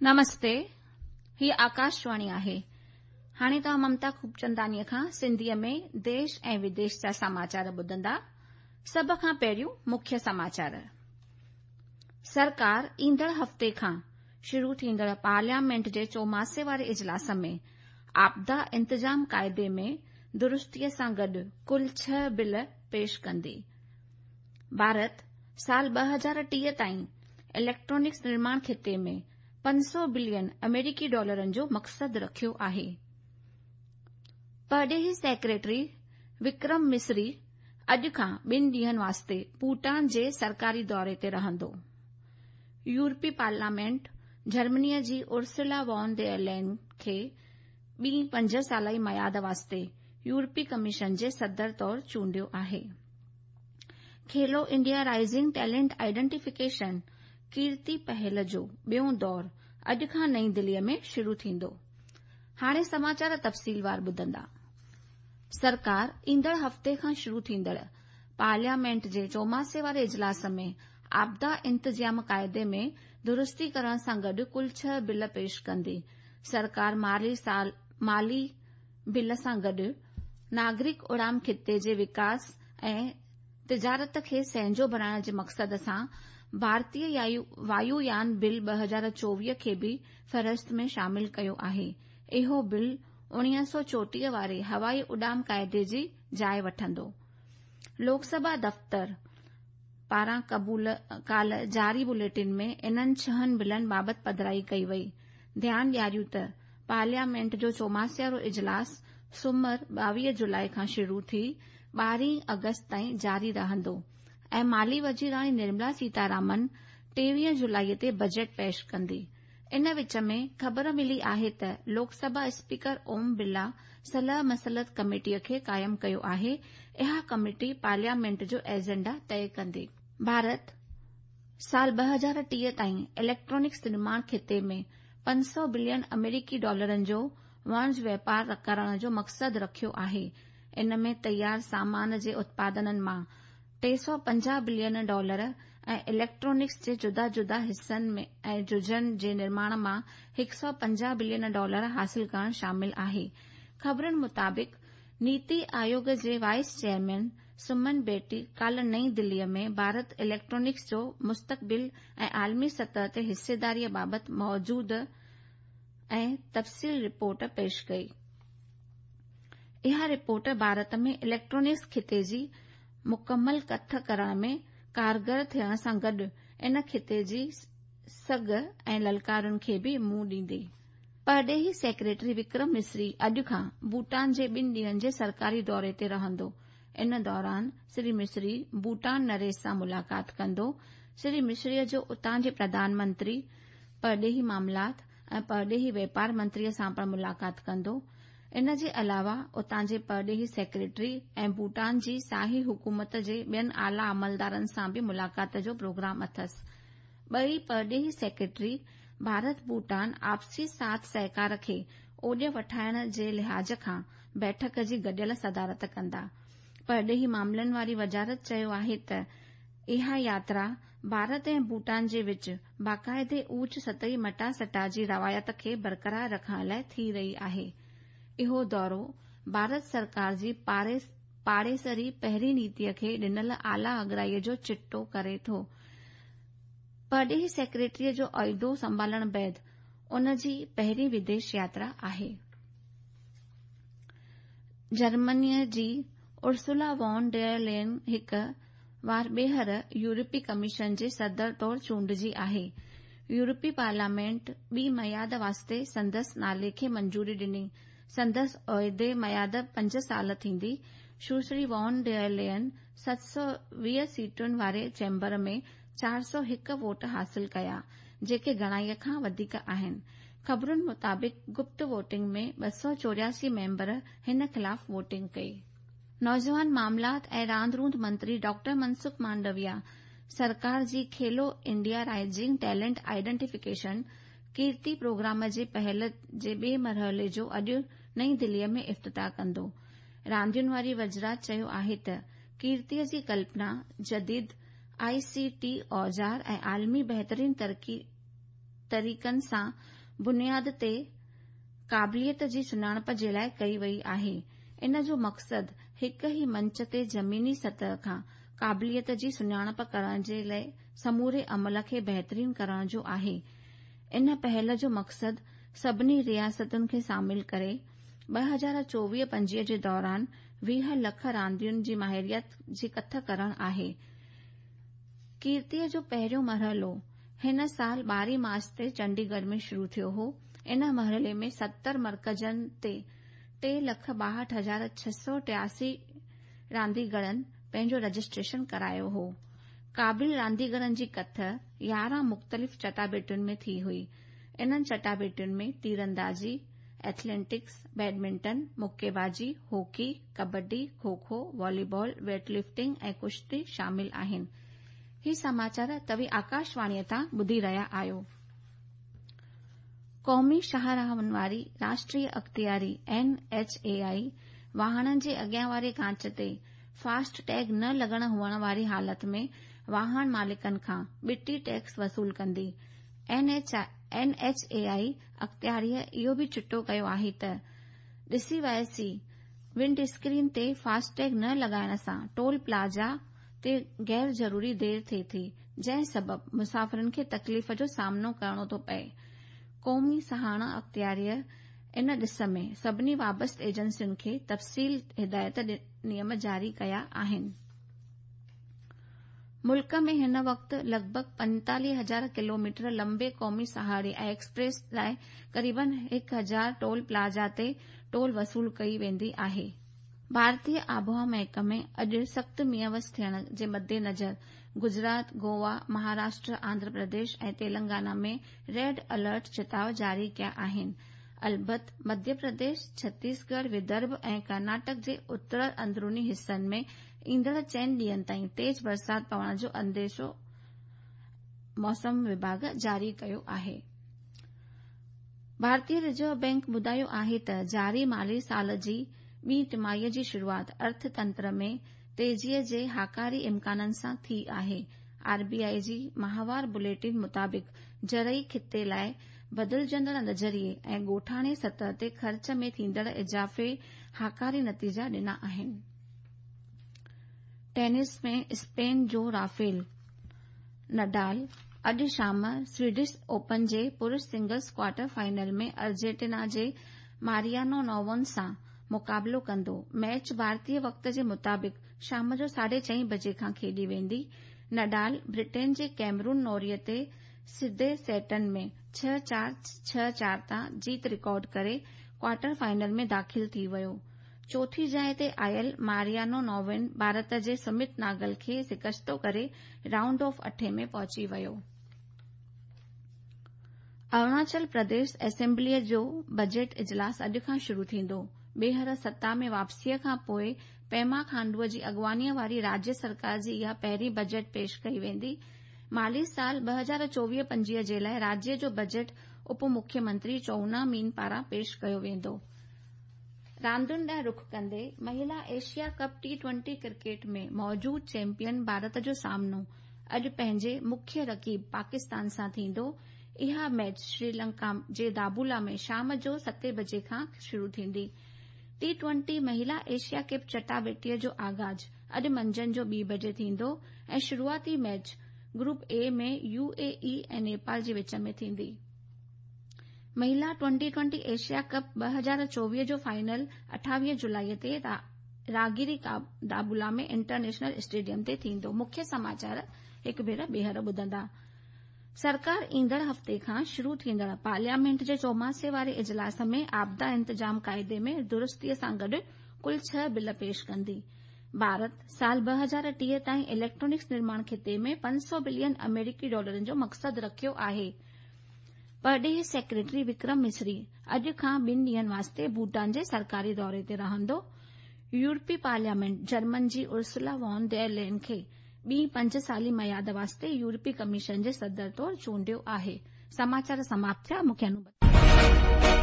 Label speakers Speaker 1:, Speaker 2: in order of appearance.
Speaker 1: نمستي، هيء آڪاشواڻي آهي. هاڻي توهان ممتا خوبچنداڻيء کان سنڌيء ۾ ديش ۽ وديش جا سماچار ٻڌندا. سڀ کان پهريون مکيه سماچار. سرڪار ايندڙ هفتي کان شروع ٿيندڙ پارليامينٽ جي چوماسي واري اجلاس ۾ آپدا انتظام قاعدي ۾ درستيء سان گڏ ڪل ڇهه بل پيش ڪندي. ڀارت سال 2030 تائين اليڪٽرانڪس نرماڻ خطي ۾ 500 بلين آمريڪي ڊالرن جو مقصد رکيو آهي. پرڏيهي سيڪريٽري وڪرم مصري اڄ کان ٻن ڏينهن واسطي ڀوٽان جي سرڪاري دوري تي رهندو. يورپي پارليامينٽ جرمنيء جي ارسولا وان ڊير لين کي ٻي پنج سالائي ميعاد واسطي يورپي ڪميشن جي صدر طور چونڊيو آهي. Khelo India rising talent identification Kirti پهل جو ٻيون دور اڄ کان نئين دليء ۾ شروع ٿيندو. هاڻي سماچار تفصيلوار ٻڌندا. سرڪار ايندڙ هفتي کان شروع ٿيندڙ پارليامينٽ جي چوماسي واري اجلاس ۾ آپدا انتظام قاعدي ۾ درستي ڪرڻ سان گڏ ڪل ڇهه بل پيش ڪندي. سرڪار مالي سال مالي بل سان گڏ ناگرڪ اڙان خطي جي وڪاس ۽ تجارت کي سهنجو بڻائڻ جي مقصد سان ڀارتي وايو يان بل 2024 کي به فهرست ۾ شامل ڪيو آهي. اهو بل 1934 واري هوائي اڏام قاعدي جي جاء وٺندو. لوڪ سڀا دفتر پاران ڪالهه جاري بليٽن ۾ انهن ڇهن بلن بابت پڌرائي ڪئي وئي. ڌيان ڏياريون ته پارليامينٽ جو چوماسيارو اجلاس سومر 22 جولاء کان شروع ٿي 12 آگسٽ تائين جاري رهندو ۽ مالي وزيراڻي نرملا سيتارامن 23 جولاء تي بجيٽ پيش ڪندي. ان وچ ۾ خبر ملي آهي ته لوڪ سڀا اسپيڪر اوم برلا صلاح مصلحت ڪميٽي کي قائم ڪيو آهي، اها ڪميٽي پارليامينٽ جو ايجنڊا طئي ڪندي. ڀارت سال 2030 تائين اليڪٽرانڪس نرماڻ خطي ۾ 500 بلين آمريڪي ڊالرن جو وڻج واپار ڪرڻ جو مقصد رکيو آهي. ان ۾ تيار سامان جي اتپادنن مان 350 بلين ڊالر ۽ اليڪٽرانڪس جي جدا جدا حصن ۽ جزن جي نرماڻ مان 150 بلين ڊالر حاصل ڪرڻ شامل آهي. خبرن مطابق نيتي آيوگ جي وائيس چيئرمين سمن بيٽي ڪالهه نئين دليء ۾ ڀارت اليڪٽرانڪس جو مستقبل ۽ عالمي سطح تي حصيداريء بابت موجود ۽ تفصيل رپورٽ پيش ڪئي. اها رپورٽ ڀارت ۾ اليڪٽرانڪس خطي جي مڪمل ڪٿ ڪرڻ ۾ ڪارگر ٿيڻ سان گڏ ان خطي جي سگهه ۽ للڪارن کي به منهن ڏيندي. پرڏيهي سيڪريٽري وڪرم مصري اڄ کان ڀوٽان جي ٻن ڏينهن جي سرڪاري دوري تي رهندو. ان دوران شري مصري ڀوٽان نريش سان ملاقات ڪندو. شري مصري جو اتان جي پرڌان منتري، پرڏيهي معاملات ۽ پرڏيهي واپار منتري سان پڻ ملاقات ڪندو. ان جي علاوه اتان جي پرڏيهي سيڪريٽري ۽ ڀوٽان جي شاهي حڪومت جي ٻين اعليٰ عملدارن سان به ملاقات جو پروگرام اٿس. ٻئي پرڏيهي سيڪريٽري ڀارت ڀوٽان آپسي ساٿ سهڪار کي اوڄ وٺائڻ جي لحاظ کان بيٺڪ جي گڏيل صدارت ڪندا. پرڏيهي معاملن واري وزارت چيو آهي ته اها ياترا ڀارت ۽ ڀوٽان جي وچ باقاعدي اوچ سطحي مٽاسٽا جي روايت کي برقرار رکڻ لاء ٿي رهي آهي. اهو دورو ڀارت سرڪار جي پاڙيسري پهرين نيتي کي ڏنل اعليٰ اڳرائي جو چٽو ڪري ٿو. پرڏيهي سيڪريٽريء جو عهدو سنڀالڻ بعد ان جي پهرين وديش ياترا آهي. جرمنيء جي ارسولا وان ڊير لين هڪ وار ٻيهر يورپي ڪميشن جي صدر طور چونڊجي آهي. يورپي پارليامينٽ ٻي ميعاد واسطي سندس نالي کي منظوري ڏني. سندس عهدي ميعاد پنج سال ٿيندي. سشري وان ڊير لين 720 سيٽن واري چيمبر ۾ 401 ووٽ حاصل ڪيا، جيڪي گهڻائي کان وڌيڪ آهن. خبرن مطابق گپت ووٽنگ ۾ 284 ميمبر هن خلاف ووٽنگ ڪئي. نوجوان معاملات ۽ راند روند منتري ڊاڪٽر منسخ مانڊويا سرڪار جي Khelo India rising talent identification Kirti programme جي پهل جي ٻئي مرحلي جو اڄ نئين دليء ۾ افتتاح ڪندو. راندين واري وزارت چيو آهي ته ڪيرتيء جي ڪلپنا جديد آء سي ٽي اوزار ۽ عالمي بهترين طريقن سان بنياد تي قابليت جي سڃاڻپ جي لاءِ ڪئي وئي آهي. ان جو مقصد هڪ ئي منچ تي زميني سطح کان قابليت جي سڃاڻپ ڪرڻ جي لاءِ سموري عمل کي بهترين ڪرڻ جو آهي. ان پهل جو مقصد سڀني رياستن کي شامل ڪري 2024-25 جي دوران 20 لک راندين جي ماهريت جي ڪٿ ڪرڻ آهي. ڪيرتيء جو پهريون مرحلو هن سال 12 مارچ تي چنڊيڳڙهه ۾ شروع ٿيو هو. ان مرحلي ۾ 70 مرڪزن تي 3,62,683 رانديگرن پنهنجو رجسٽريشن ڪرايو هو. قابل رانديگرن جي ڪٿ 11 مختلف چٽاڀيٽين ۾ ٿي هئي. انهن چٽاڀيٽين ۾ تيراندازي، ايٿليٽڪس، بيڊمنٽن، مڪي بازي، hockey, kabaddi, kho kho, volleyball, weight lifting ۽ ڪشتي شامل آهن. هي سماچار توهين آڪاشواڻيء تان ٻڌي رهيا آهيو. قومي شاهراهن واري راشٽريه اختياري اين ايڇ اي آء واهڻن جي اڳيان واري ڪانچ تي فاسٽ ٽيگ نه لڳل هئڻ واري حالت ۾ واهڻ مالڪن کان ٻٽي ٽيڪس وصول ڪندي. اين ايڇ اي آء اختياريء اهو به چٽو ڪيو آهي ته ڏسي وائسي ونڊ اسڪرين تي فاسٽ ٽيگ نه لڳائڻ سان ٽول پلازا تي غير ضروري دير ٿئي ٿي، جنهن سبب مسافرن کي تڪليف جو سامنو ڪرڻو ٿو پئي. قومي سهاڻا اختياريء ان ڏس ۾ سڀني وابسته ايجنسين کي تفصيلي هدايت نيم جاري ڪيا آهن. ملڪ ۾ هن وقت لڳ ڀڳ 45,000 ڪلوميٽر لنبي قومي سهاڙي ۽ ايڪسپريس لاءِ قريبن 1,000 ٽول پلازا تي ٽول وصول ڪئي ويندي آهي. ڀارتي آبهوا محڪمي اڄ سخت مينهن وس ٿيڻ جي مدنظر گجرات، گوا، مهاراشٽر، آنڌرا پرديش ۽ تيلنگانا ۾ ريڊ الرٽ چتاءُ جاري ڪيا آهن. البت مڌيه پرديش، ڇتيسڳڙهه، ودرڀ ۽ ڪرناٽڪ جي اتر اندروني حصن ۾ ايندڙ چئن ڏينهن تائين تيز برسات پوڻ جو انديشو موسم وڀاڳ جاري ڪيو آهي. ڀارتي رزرو بئنڪ ٻڌايو آهي ته جاري مالي سال جي ٻي ٽماهيء جي شروعات ارٿ تنتر ۾ تيزيء جي هاڪاري امڪانن سان ٿي آهي. آر بي آء جي ماهوار بليٽن مطابق زرعي خطي لاءِ بدلجندڙ نظريي ۽ ڳوٺاڻي سطح تي خرچ ۾ ٿيندڙ اضافي هاڪاري نتيجا ڏنا آهن. ٽينس ۾ اسپين جو رافيل نڊال اڄ شام سويڊش اوپن جي پرش سنگلز ڪوارٽر فائنل ۾ ارجنٽينا جي ماريانو نوون سان مقابلو ڪندو. ميچ ڀارتي وقت جي مطابق شام جو 4:30 بجي کان کيڏي ويندي. نڊال برٽين جي ڪيمرون نوريء تي سڌي سيٽن ۾ 6-4، 6-4 تان جيت رڪارڊ ڪري ڪوارٽر فائنل ۾ داخل ٿي ويو. چوٿين جاءِ تي آيل ماريانو نووين ڀارت جي سمت ناگل کي شڪستو ڪري رائونڊ آف 8 ۾ پهچي ويو. اروناچل پرديش اسيمبليء جو بجيٽ اجلاس اڄ کان شروع ٿيندو. ٻيهر ستا ۾ واپسيء کان پوءِ پيما کانڊوءَ جي اڳواڻيء واري راجيه سرڪار جي اها پهرين بجيٽ پيش ڪئي ويندي. مالي سال 2024-25 جي لاءِ راجيه جو بجيٽ اپ مکيه منتري چونا مين پاران پيش ڪيو ويندو. راندين ڏانهن رخ ڪندي مهلا ايشيا ڪپ ٽي-20 ڪرڪيٽ ۾ موجود چيمپيئن ڀارت جو سامنو اڄ پنهنجي مکيه رقيب پاڪستان سان ٿيندو. اها ميچ سريلنڪا جي دابولا ۾ شام جو 7 بجي کان شروع ٿيندي. ٽي-20 مهلا ايشيا ڪپ چٽاڀيٽيء جو آغاز اڄ منجهند جو 2 بجي ٿيندو ۽ شروعاتي match group A ۾ U A E ۽ Nepal جي وچ ۾ ٿيندي. مهلا ٽوئنٽي-20 ايشيا ڪپ 2024 جو فائنل 28 جولائي تي راگيري دابولا ۾ انٽرنيشنل اسٽيڊيم تي ٿيندو. مکيه سماچار هڪ ڀيرو ٻيهر ٻڌندا. سرڪار ايندڙ هفتي کان شروع ٿيندڙ پارليامينٽ جي چوماسي واري اجلاس ۾ آپدا انتظام قاعدي ۾ درستيء سان گڏ ڪل 6 بل پيش ڪندي. ڀارت سال 2030 تائين اليڪٽرانڪس نرماڻ خطي ۾ 500 بلين آمريڪي ڊالرن جو مقصد رکيو آهي. پرڏيهي سيڪريٽري وڪرم مصري اڄ کان 2 ڏينهن واسطي ڀوٽان جي سرڪاري دوري تي رهندو. يورپي پارليامينٽ جرمن جي ارسولا وان ڊير لين کي ٻي 5 سالي ميعاد واسطي يورپي ڪميشن جي صدر طور چونڊيو آهي. سماچار سماپت ٿيا. مون کي